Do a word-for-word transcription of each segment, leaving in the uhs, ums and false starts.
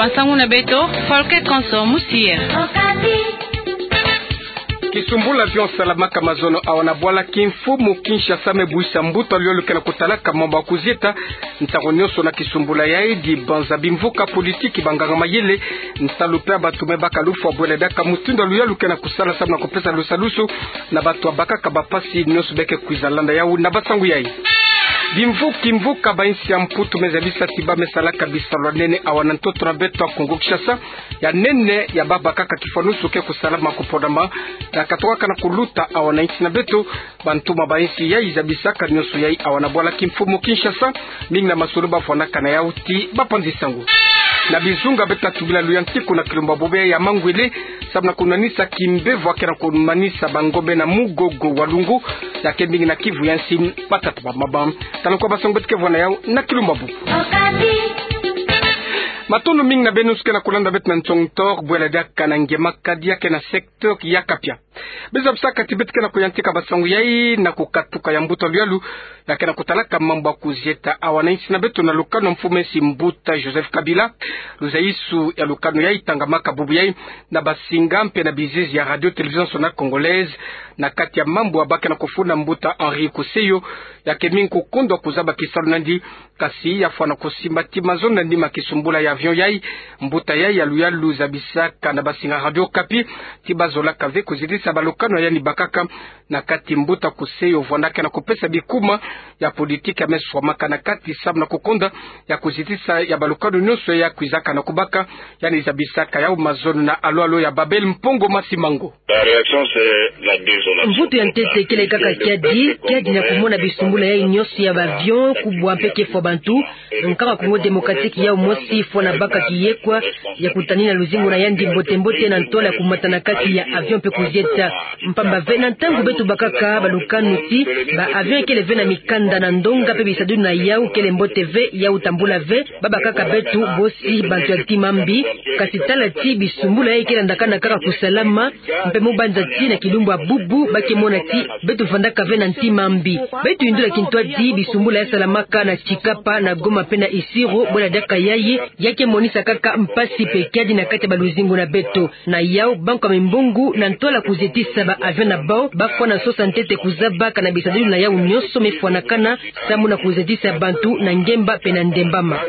Nsangu na beto, Folke Konso Musier. Kisumbula avion salamaka mazono awa na bwala kimfumu Kinshasa me buisa mbuta luyalu ke na kutalaka mambu ya kuzieta. Ntangu nyonso na kisumbula yayi, dibanza, bimvuka, politiki, banganga mayele, nsalu mpe ya bantu me baka lufwa bwela diaka mutindu ya luyalu ke na kusala samu na kupesa lusalusu na bantu ya bakaka bampasi nyonso be ke kwiza landa yawu na bansangu yayi. Bimvuki mvuka ba insi ya Mputu me zabisa ti ba me salaka bisalu ya nene awa na ntoto na beto ya Kongo Kinshasa, ya nene ya ba bakaka kifwanusu ke kusalama kuponama, ya katokaka na kuluta awa na insi na beto. Bantuma ba insi yayi zabisaka nyonso yayi awa na bwala kimfumu Kinshasa, mingi na masolo bavwanaka na yawu ti bapanzi sango. Na bizunga beto ta tubila luyantiku na kilumbu ya bubu ya Mangwele, samu na kunwanisa kimbevo ya ke na kumanisa bangombe na mugogo wa Lungu, ya ke mingi na kivu ya nsi, batata ba maba. Tala kwa bansangu beto ke vwa na yawu na kilumbu ya bubu. Matondo mingi na beno nyonso ke na kulanda beto na nsoni tor, bwela diaka na nge makadi ya ke na secteur ya Kapia. Be zabisaka ti beto ke na kuyantika bansangu yayi na kukatuka ya mbuta luyalu ya ke na kutalaka mambu ya kuzieta awa na insi na beto na lukanu ya mfumu ya insi mbuta Joseph Kabila. Luzayisu ya lukanu yayi tangamaka bubu yayi na basinga mpe na bizizi ya Radio Télévision Nationale Congolaise, na kati ya mambu ya ba ke na kufunda mbuta Henri Koseyo, ya ke mingi kukondwa kuzaba kisalu na yandi, kasi ya fwana kusimba ti mazono na nima kisumbula ya avion yayi. Mbuta yayi ya luyalu zabisaka na basinga Radio Okapi ti bazolaka ve kuzietisa balukanu ya yandi bakaka, na kati mbuta Koseyo vwandaka na kupesa bikuma ya politiki ya me swamaka na kati samu na kukonda ya kuzietisa ya balukanu nyonso ya kwizaka na kubaka. Yandi zabisaka yawu mazono na alo alo ya Babel Mpongo Masimango. La réaction, c'est la désolation. Mvutu ya ntete kele kaka kiadi, kiadi na kumona bisumbula yayi nyonso ya ba avion kubwa mpe kefwa bantu. Nkaka Congo Démocratique yawu mosi fwana baka kiyekwa ya kutanina luzingu na yandi mbote mbote na ntwala ya kumata na kati ya avion mpe kuzieta. Mpamba ve na ntangu beto bakaka balukanu ti ba avion kele ve na mikanda na ndonga mpe bisadulu na yawu kele mbote ve, yawu tambula ve, ba bakaka beto bosi bantu ya ntima mbi. Kasi tala ti bisumbula yayi ke landakana kaka kusalama, mpe mu banza ti na kilumbu ya bubu ba ke mona ti beto vandaka ve na ntima mbi. Beto yindula kintwadi bisumbula ya salamaka na Tshikapa, na Goma mpe na Isiro, bwela diaka yayi ya ke monisa kaka mpasi mpe kiadi na kati ya baluzingu na beto. Na yawu banki ya mimbongo na ntwala kuzietisa ba avion na bawu ba fwana sosa ntete kuzaba kana bisadulu na yawu nyonso me fwanakana samu na kuzietisa bantu na ngemba mpe na ndembama.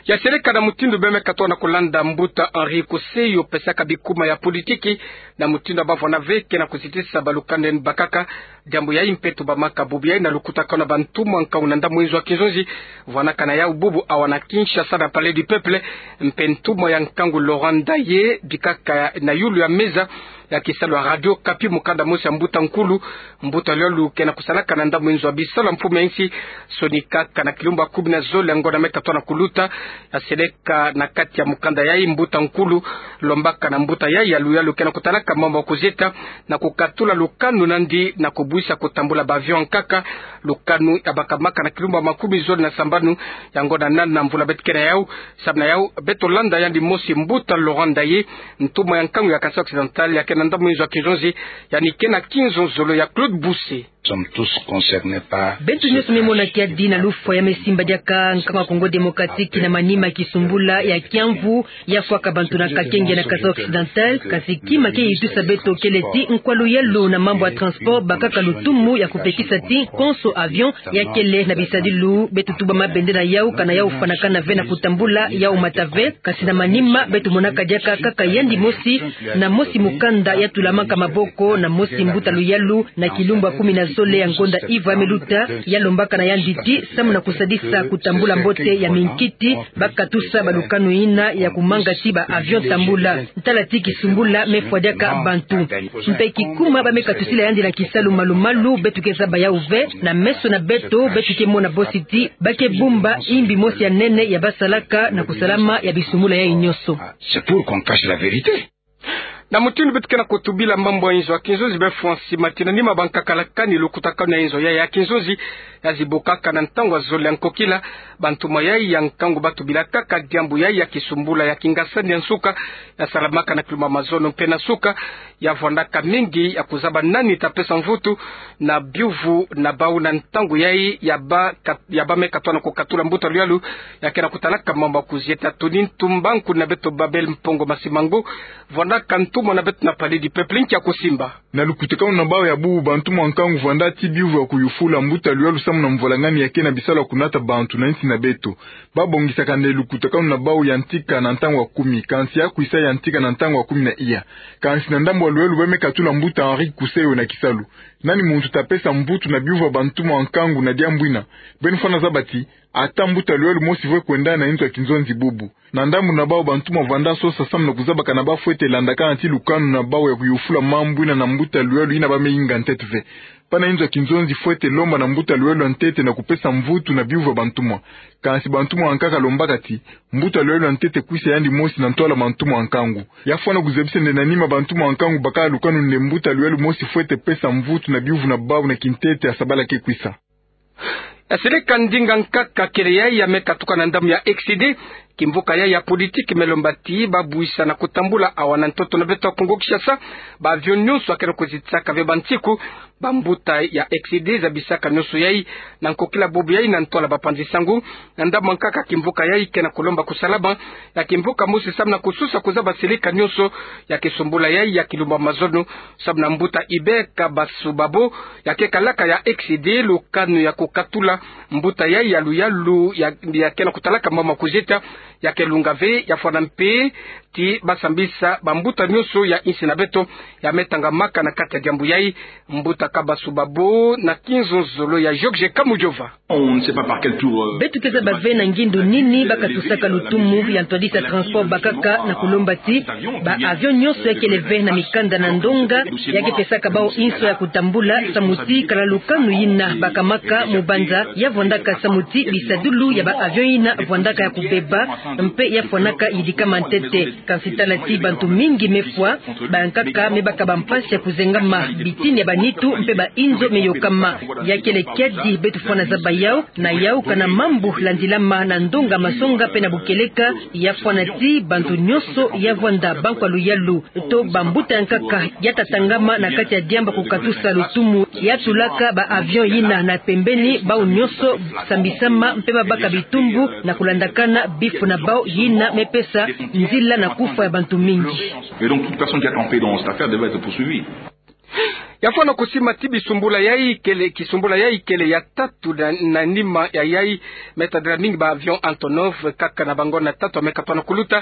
Ya seleka na mutindu beno me katuka na kulanda mbuta Henri Koseyo pesaka bikuma ya politiki na mutindu ya ba vwana ve ke na kuzietisa balukanu ya yandi bakaka. Diambu yayi mpe tubamaka bubu yayi na lukutakanu ya bantumwa nkangu na ndambu inzo ya kinzonzi vwanaka na yawu bubu awa na Kinshasa na Palais du Peuple, mpe ntumwa ya nkangu Laurent Ndaye bikaka na yulu ya meza ya kisalu ya Radio Okapi, mukanda mosi ya mbuta nkulu. Mbuta luyalu ke na kusalaka na ndambu inzo ya bisalu ya mfumu ya insi, sonikaka na kilumbu ya kumi na zole ya ngonda me katuka na kuluta. Ya seleka na kati ya mukanda yayi, mbuta nkulu lombaka na mbuta yayi ya luyalu ke na kutalaka mambu ya kuzieta na kukatula lukanu na yandi na kubwisa kutambula ba avion nkaka. Lukanu ya bakamaka na kilumbu ya makumi zole na sambanu ya ngonda nana na mvula beto ke na yawu. Samu na yawu beto landa yandi mosi mbuta Laurent Ndaye, ntumwa ya nkangu ya Kasaï Occidental ya ke na ndambu inzo ya kinzonzi, yandi ke na kinzonzolo ya Claude Bousse. Sommes tous concernés par... Beto nyonso me mona kiadi na lufwa ya me simba diaka nkangu ya Congo Démocratique na manima ya kisumbula ya kiamvu ya fwaka bantu na Kakenge na Kasaï Occidental, kasi kima ke yitusa beto kele ti nkwa luyalu na mambu ya transport bakaka lutumu ya kupekisa ti konso avion ya kele na bisadilu beto tuba mabende na yawu kana yawu fwanakana ve na kutambula yawu mata ve. Kasi na manima beto monaka diaka kaka yandi mosi na mosi mukanda ya tulamaka maboko na mosi mbuta luyalu na kilumbu ya kumi na zole ya ngonda iva ya me luta, ya lombaka na yandi ti samu na kusadisa kutambula mbote ya minkiti, ba katusa balukanu yina ya kumanga ti ba avion tambula. Tala ti kisumbula me fwa diaka bantu. Mpe kikuma ba me katusila yandi na kisalu malu-malu, beto ke zaba yawu ve. Na meso na beto, beto ke mona bosi ti ba ke bumba imbi mosi ya nene ya ba salaka na kusalama ya bisumbula yayi nyonso. C'est pour qu'on cache la vérité. Na mutindu beto ke na kutubila mambu ya inzo ya kinzonzi, befwa nsi mati na nima bankaka lakani lukutakanu ya inzo ya, ya kinzonzi, ya zibukaka na ntangu ya zole ya nkokila, bantumwa yai ya nkangu batubilakaka diambu yai ya kisumbula ya kingasani ya nsuka, ya salamaka na kilumba mazono mpe na nsuka, ya vwandaka mingi ya kuzaba nani ta pesa mvutu na biuvu na bau na ntangu yai ya ba kat-, ya ba me katwana kukatula mbuta luyalu ya ke na kutalaka mambu ya kuzieta. Tuni Ntumba, nkuna beto Babel Mpongo Masimango, vwandaka ntumwa na beto na Palais du Peuple, nkia kusimba. Na lukutakanu na bau ya bubu, bantumwa nkangu vwanda ti biuvu ya kuyufula mbuta luyalu samu na mvwalangani ya ke na bisalu ya kunata bantu na nsi na beto. Babongisaka nde lukutakanu na bau ya ntika na ntangu ya kumi, kansi ya kwisa ya ntika na ntangu ya kumi na iya. Kansi na ndambu ya luyalu ba me katula mbuta Henri Kuseyo na kisalu. Nani muntu ta pesa mvutu na biuvu ya bantumwa nkangu na diambu ina? Beno fwana zaba ti, ata mbuta luyalu mosi vwe kwenda na inzo ya kinzonzi bubu. Na ndambu na bau, bantumwa vwanda sosa samu na kuzaba kana ba fwete landakana ti lukanu na bau ya kuyufula mambu ina na mbuta luyalu ina ba me inga ntete ve. Pana inzo ya kinzonzi fwete lomba na mbuta luyalu ya ntete na kupesa mvutu na biuvu ya bantumwa. Kansi bantumwa nkaka lombaka ti, mbuta luyalu ya ntete kwisa yandi mosi na ntwala bantumwa nkangu. Ya fwana kuzabisa nde na nima bantumwa nkangu bakala lukanu nde mbuta luyalu mosi fwete pesa mvutu na biuvu na bau na kintete ya sabala ke kwisa. Ya seleka ndinga nkaka kele yai ya me katuka na ndambu ya X D, kimvuka yai ya politiki me lomba ti ba buisa na kutambula awa na ntoto na beto ya Kongo Kinshasa, ba avion nyonso ya ke na kuzitisaka ve bansiku, bambuta ya X D zabisaka nyonso yai na nkokila bubu yai na ntwala bapanzi sangu. Na ndambu nkaka kimvuka yai ke na kulomba kusalama ya kimvuka mosi samu na kususa kuzaba seleka nyonso ya kisumbula yai ya kilumba mazono, samu na mbuta Hubert Kabasubabo, ya ke kalaka ya X D lukanu ya kukatula mbuta yai ya luyalu ya, ya ke na kutalaka mambu ya kuzieta, ya ke lunga ve. Ya fwana mpe ti ba sambisa bambuta nyonso ya insi na beto ya me tangamaka na kati ya diambu yai. Mbuta Kabasubabo na kinzonzolo ya George Kamujova. On ne sait pas par quel tour, euh, beto ke zaba ve na ngindu nini ba katusaka lutumu ya ntwadisi ya transport bakaka na kulomba ti ba avion nyonso ya kele ve na mikanda na ndonga ya ke pesaka bau inso ya kutambula samu ti kala lukanu yina bakamaka mubanza ya vwandaka samu ti bisadulu ya ba avion yina vwandaka ya kubeba mpe ya fwanaka yidikama ntete. Kansi tala ti bantu mingi me fwa, bankaka me baka bampasi ya kuzengama, bitini ya banitu mpe ba inzo me yokama. Ya kele kiadi beto fwana zaba yau, na yau kana mambu landilama na ndonga masonga mpe na bukeleka, ya fwana ti bantu nyonso ya vwanda bankwa luyalu to bambuta ya nkaka ya tatangama na kati ya diambu ya kukatusa lutumu ya tulaka ba avion yina na pembeni, bau nyonso sambisama mpe babaka bitumbu na kulandakana bifu na bau yina me pesa nzila na kufwa ya bantu mingi. Et donc toute personne qui a campé dans cette affaire devait être poursuivie. Ya fwana kusimba ti bisumbula yai kele, kisumbula yai kele ya tatu na, na nima ya yai me tadila mingi ba avion Antonov kaka na bangonda tatu ya me katwana kuluta.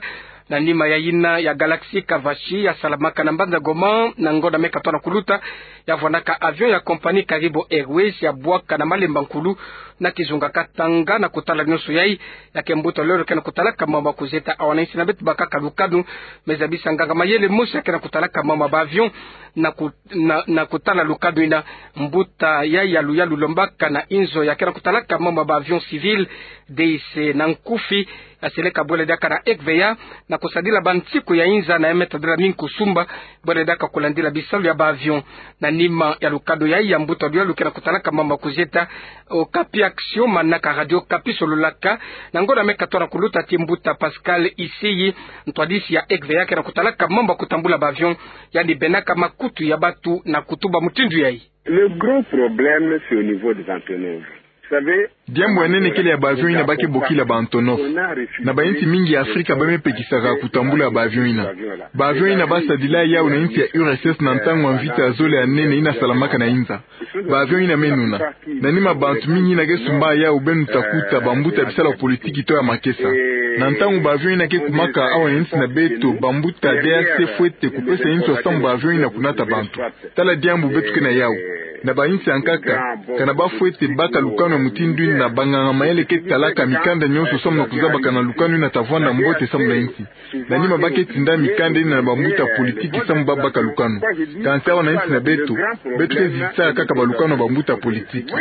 Na nima ya yina ya Galaxy Kavashi ya salamaka na mbanza Goma na ngonda me katwana kuluta, ya vwandaka avion ya compagnie Caribou Airways ya bwaka na malemba nkulu na kizunga Katanga. Na kutala nyonso yai, ya ke mbuta luyalu ke na kutalaka mambu ya kuzieta awa na insi na beto bakaka lukanu. Me zabisa nganga mayele mosi ya ke na kutalaka mambu ya ba avion na ku-, na, na kutala lukanu yina. Mbuta yai ya luyalu lombaka na inzo ya ke na kutalaka mambu ya ba avion civil, D I C na nkufi, ya seleka bwele diaka na F V A na kusadila bansiku ya inza na ya me tadila mingi kusumba bwele diaka kulandila bisalu ya ba avion. Na nima ya lukanu yai, ya mbuta luyalu ke na kutalaka mambu ya kuzieta, Okapi Action, manaka Radio Okapi, sololaka na ngonda me katwana kuluta ti mbuta Pascal Isiyi, ntwadisi ya F V A ke na kutalaka mambu ya kutambula ba avion, yandi bebaka makutu ya batu na kutuba mutindu yai. Le gros problème, c'est au niveau des Antonov. Vous savez, diambu ya nene kele ya ba avion yina ba ke bokila ba Antonov. Na ba insi mingi ya Afrika ba me pekisaka kutambula ba avion yina. Ba avion yina ba sadila yau na insi ya U R S S na ntangu ya mvita ya zole ya nene yina salamaka na inza. Ba avion yina me nuna. Na nima bantu mingi yina ke sumba yau, beno ta kuta bambuta ya bisalu ya politiki to ya makesa. Na ntangu ba avion yina ke kumaka awa na insi na beto, bambuta D A C fwete kupesa inso samu ba avion yina kunata bantu. Tala diambu beto ke na yau. Na ba insi ya nkaka, kana ba fwete baka lukanu ya mutindu yina, banganga mayele ke talaka mikanda nyonso samu na kuzaba kana lukanu yina ta vwanda mbote samu na insi. Na nima ba ke tinda mikanda yina na bambuta politiki samu ba baka lukanu. Kansi awa na insi na beto, beto ke zitisa kaka ba lukanu ya bambuta politiki.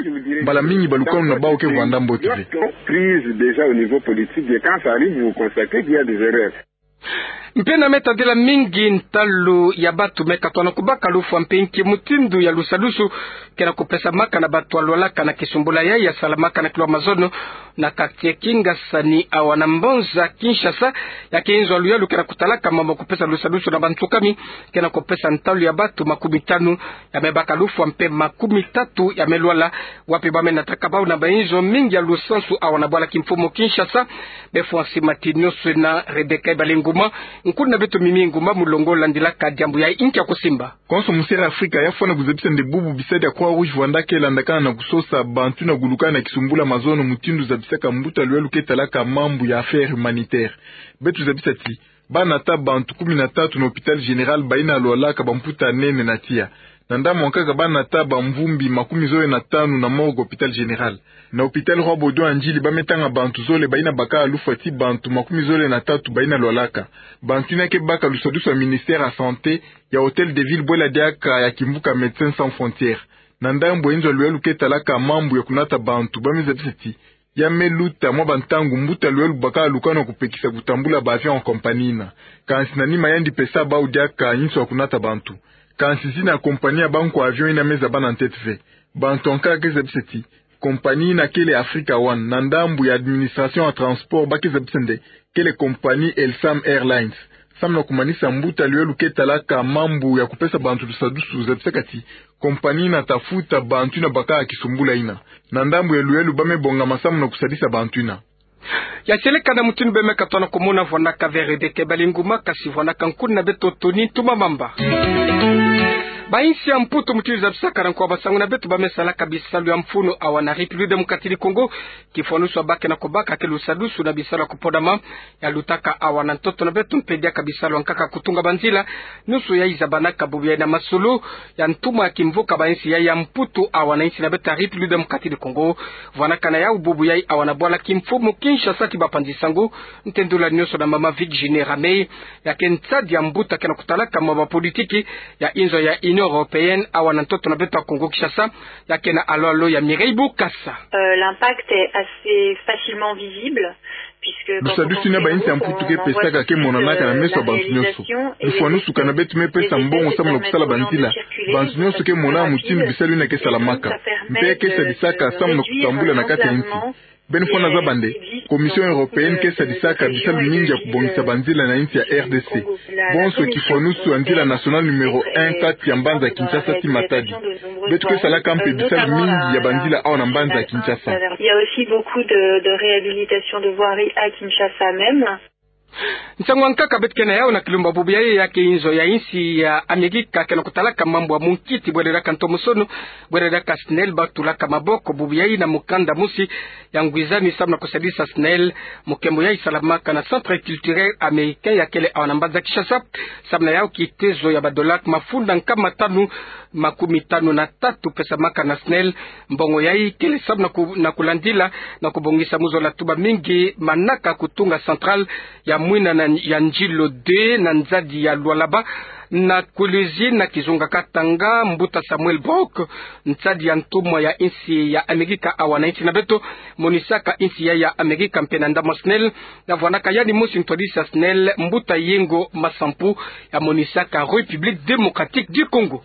Mbala mingi ba lukanu na bau ke vwanda mbote ve. Prise déjà au niveau politique, et quand ça arrive, vous constatez qu'il y a des erreurs. Mpe na me tadila mingi ntalu ya batu me katona kubaka lufwa mpe nki mutindu ya lusadusu ke na kupesamaka na batu ya lwalaka na kisumbula yayi ya salamaka na kilo Amazono na quartier Kingasani awa na mbanza Kinshasa. Ya ke nzo ya luyalu ke na kutalaka mambu ya kupesa lusadusu na bantu kumi ke na kupesa ntalu ya batu makumi tanu ya me baka lufwa mpe makumi tatu ya me lwala, wapi ba me nataka bau na banzo mingi ya lusansu awa na bwala kimfumu Kinshasa. Befwani nsi mati nionso na Rebecca Ebale Nguma, nkuna beto Mimi Nguma, mulongo landilaka diambu yayi. Nki ya kusimba? Konso mu Sierra Africa ya fwana kuzabisa nde bubu bisadi ya Croix Rouge Rwanda ke landakana na kusosa bantu na gulukana na kisumbula mazono mutindu zabisaka mbuta luyalu ke talaka mambu ya affaires humanitaires. Beto zabisa ti ba nata bantu kumi na tatu na hôpital général bayina lwalaka bamputa nene na tiya. Na ndambu ya nkaka ba nata bamvumbi makumi zole na tanu na morgue hôpital général. Na hôpital Roi Baudouin ya Ndjili ba me tanga bantu zole bayina baka lufwa ti bantu makumi zole na tatu bayina lwalaka. Bantu yina ke baka lusadusu ya ministère ya santé ya hôtel de ville bwela diaka ya kimvuka Médecins Sans Frontières. Na ndambu ya nzo ya luyalu ke talaka mambu ya kunata bantu ba me zabisa ti ya me luta mwa bantangu mbuta luyalu baka lukana kupekisa kutambula ba avion ya compagnie yina. Kansi na nima yandi pesa bau diaka yinso ya kunata bantu. Kansi zina compagnie ya bankwa avion yina me zaba na ntete ve. Bantu ya nkaka ke zabisa ti compagnie yina kele Africa One, na ndambu ya administration ya transport ba ke zabisa nde kele compagnie Elsam Airlines. Samu na kumanisa mbuta luyalu ke talaka mambu ya kupesa bantu lusadusu zabisaka ti compagnie yina ta futa bantu yina baka kisumbula yina. Na ndambu ya luyalu ba me bongama samu na kusadisa bantu yina. Ya seleka na mutindu be me katona kumona vwanaka ve Rebecca Ebale Nguma, kasi vwanaka nkuna beto Tony Ntumamamba. Bayinsi ya Mputu, mutindu zabisaka na nko ya basangu na beto, ba me salaka bisalu ya mfunu awa na République Démocratique du Congo, kifwanusu ba ke na kubaka ke lusadusu na bisalu ya kupodama ya lutaka awa na ntoto na beto mpe diaka bisalu ya nkaka kutunga banzila. Nionso yayi zabanaka bubu yayi na masolo ya ntumwa ya kimvuka bayinsi yayi ya Mputu awa na yinsi na beto ya République Démocratique du Congo. Vwanaka na yau bubu yayi awa na bwala kimfumu Kinshasa ti bapanzi sango. Ntendula nionso na mama Virginie Ramey, ya ke nsadi ya mbuta ke na kutalaka mambu ya politiki ya inzo ya Union Européenne awa na ntoto na beto ya Congo Kinshasa, ya ke na alo-alo ya Mireille Bukasa. Euh, l'impact est assez facilement visible, puisque quand on Lusadusu yina bayinsi ya Mputu ke pesaka ke monanaka na meso ya bantu nionso. Lufwanusu kana beto me pesa mbongo samu na kusala banzila, bantu nionso ke mona mutindu bisalu yina ke salamaka. Mpe ke sadisaka samu na kutambula na kati ya yinsi. Beno fwana zaba nde Commission Européenne ke sadisaka bisalu mingi ya kubongisa banzila na yinsi ya R D C. Bonso kifwanusu ya nzila nationale numéro un kati ya mbanza Kinshasa ti Matadi. Beto ke salaka mpe bisalu mingi ya banzila awa na mbanza Kinshasa. Il y a aussi beaucoup de, de réhabilitation de voirie à Kinshasa même. Nsangu ya nkaka beto ke na yau na kilumbu bubu yayi, ya ke inzo ya yinsi ya Amerika ke na kutalaka mambu ya munkiti bwele diaka ntomosono, bwele diaka SNEL, ba tulaka maboko bubu yayi na mukanda mosi ya ngwizani samu na kusadisa SNEL. Mukembo yayi salamaka na Centre Culturel Américain ya kele awa na mbanza Kinshasa, samu na yau kitezo ya ba dollars mafunda nkama tanu makumi tanu na tatu pesamaka na SNEL. Mbongo yayi kele samu na ku-, na kulandila na kubongisa mu zola tuba mingi manaka kutunga centrale ya mwina na, ya Ndjilo deux na nzadi ya Lualaba, na kulizi na kizunga Katanga. Mbuta Samuel Brock, nsadi ya ntumwa ya yinsi ya Amerika awa na yinsi na beto, monisaka yinsi ya, ya Amerika mpe na ndambu ya SNEL, na vwanaka yandi mosi ntwadisi ya SNEL, mbuta Yengo Masampu, ya monisaka République Démocratique du Congo.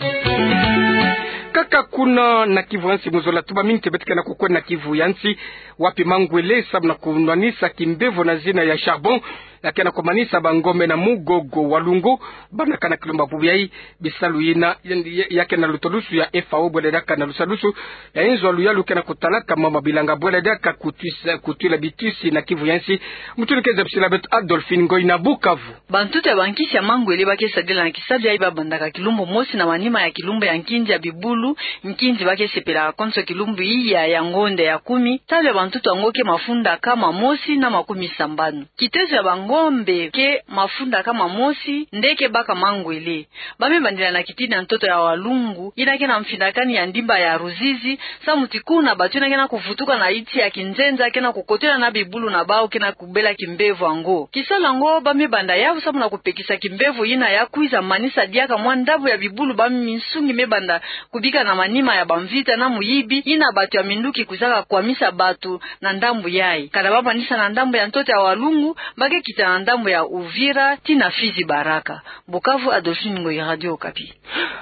Kaka kuna na Kivu ya nsi, mu zola tuba mingi te beto ke na kukwenda na Kivu ya nsi, wapi mangwele samu na kunwanisa kimbevo na zina ya charbon ya ke na kumanisa bangombe na Mugogo Walungu, banaka na kilumbu bubu yayi. Bisalu yina ya, ya, ya ke na lutodusu ya F A O bwele diaka na lusadusu ya inzo ya luyalu ke na kutalaka mama bilanga bwele diaka kutwisa, kutwila bitwisi na Kivu ya nsi. Mutindu ke zabisila beto Adolphine Ngoy na Bukavu. Bantutu ya bankisi ya mangwele ba ke sadila na kisalu yayi ba bandaka kilumbu mosi na manima ya kilumbu ya nkinzi ya bibulu, nkinzi ba ke sepelaka konso kilumbu iya ya ngonda ya kumi. Talu ya bantutu yango ke mafunda kama mosi na makumi sambanu. Kitezo ya bangombe ke mafunda kama mosi nde ke baka mangwele. Ba me bandila na kitini ya ntoto ya Walungu, yina ke na mfindakani ya ndimba ya Ruzizi, samu ti kuna bato yina ke na kuvutuka na yinsi ya kinzenza ke na kukotela na bibulu na bau ke na kubela kimbevo yango. Kisalu yango ba me banda yau samu na kupekisa kimbevo yina ya kwiza manisa diaka mwa ndambu ya bibulu ba minsungi me banda kubika na manima ya bamvita na muyibi, yina bato ya minduki kwizaka kwamisa bato na ndambu yayi. Kana ba manisa na ndambu ya ntoto ya Walungu, ba ke kita na ndambo ya Uvira tii na Fizi Baraka. Bukavu, Adolphine Ngoyi, Radio Okapi.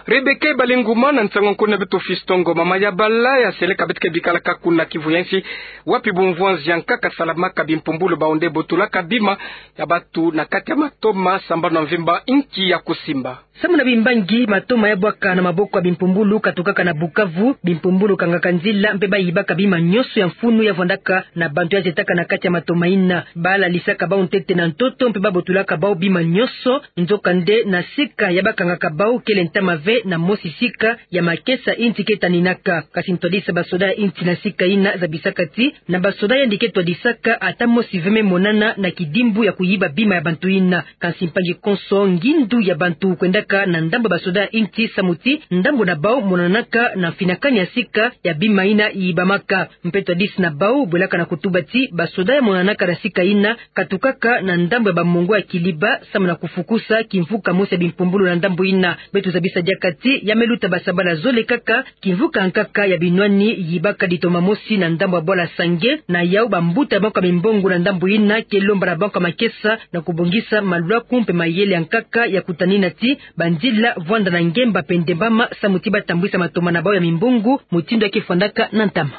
Rebecca Balinguma na nsangu nkono ya beto Fiston Ngoma. Mayabala ya seleka beto ke bikalaka kuna Kivu ya nsi, wapi bumvwanzi ya nkaka salamaka bimpumbulu bao nde botolaka bima ya bantu na kati ya matoma sambanu ya mvimba inki ya kusimba. Samu na bimbangi, matoma ya bwaka na maboko ya bimpumbulu katukaka na Bukavu, bimpumbulu kangaka nzila mpe bayibaka bima nyonso ya mfunu ya vwandaka na bantu ya zetaka na kati ya matoma yina. Balalisaka bao ntete na ntoto mpe babotolaka bao bima nyonso, nzokande na sika ya bakangaka bao kele ntama ve na mosi sika ya makesa insi ke taninaka. Kasi ntwadisa basoda ya insi na sika yina zabisaka ti na basoda yandi ke twadisaka ata mosi ve me monana na kidimbu ya kuyiba bima ya bantu yina. Kasi mpangi konso, ngindu ya bantu kwendaka na ndambo ya basoda ya insi samu ti ndambo na bao monanaka na mfinakani ya sika ya bima yina yibamaka. Mpe twadisi na bao bwelaka na kutuba ti basoda ya monanaka na sika yina katukaka na ndambo ya bamongo ya Kiliba samu na kufukusa kimvuka mosi ya bimpumbulu na ndambo yina. Beto zabisa diaka ti ya me luta basabala zole kaka, kimvuka nkaka ya binwani yibaka ditoma mosi na ndambo ya bwala Sange. Na yau, bambuta ya banka mimbongo na ndambo yina ke lomba na banka makesa na kubongisa malwaku mpe mayele ya nkaka ya kutanina ti banzila vwanda na ngemba mpe ndembama samu ti batambwisa matoma na bao ya mimbongo mutindu ya ke fwandaka na ntama.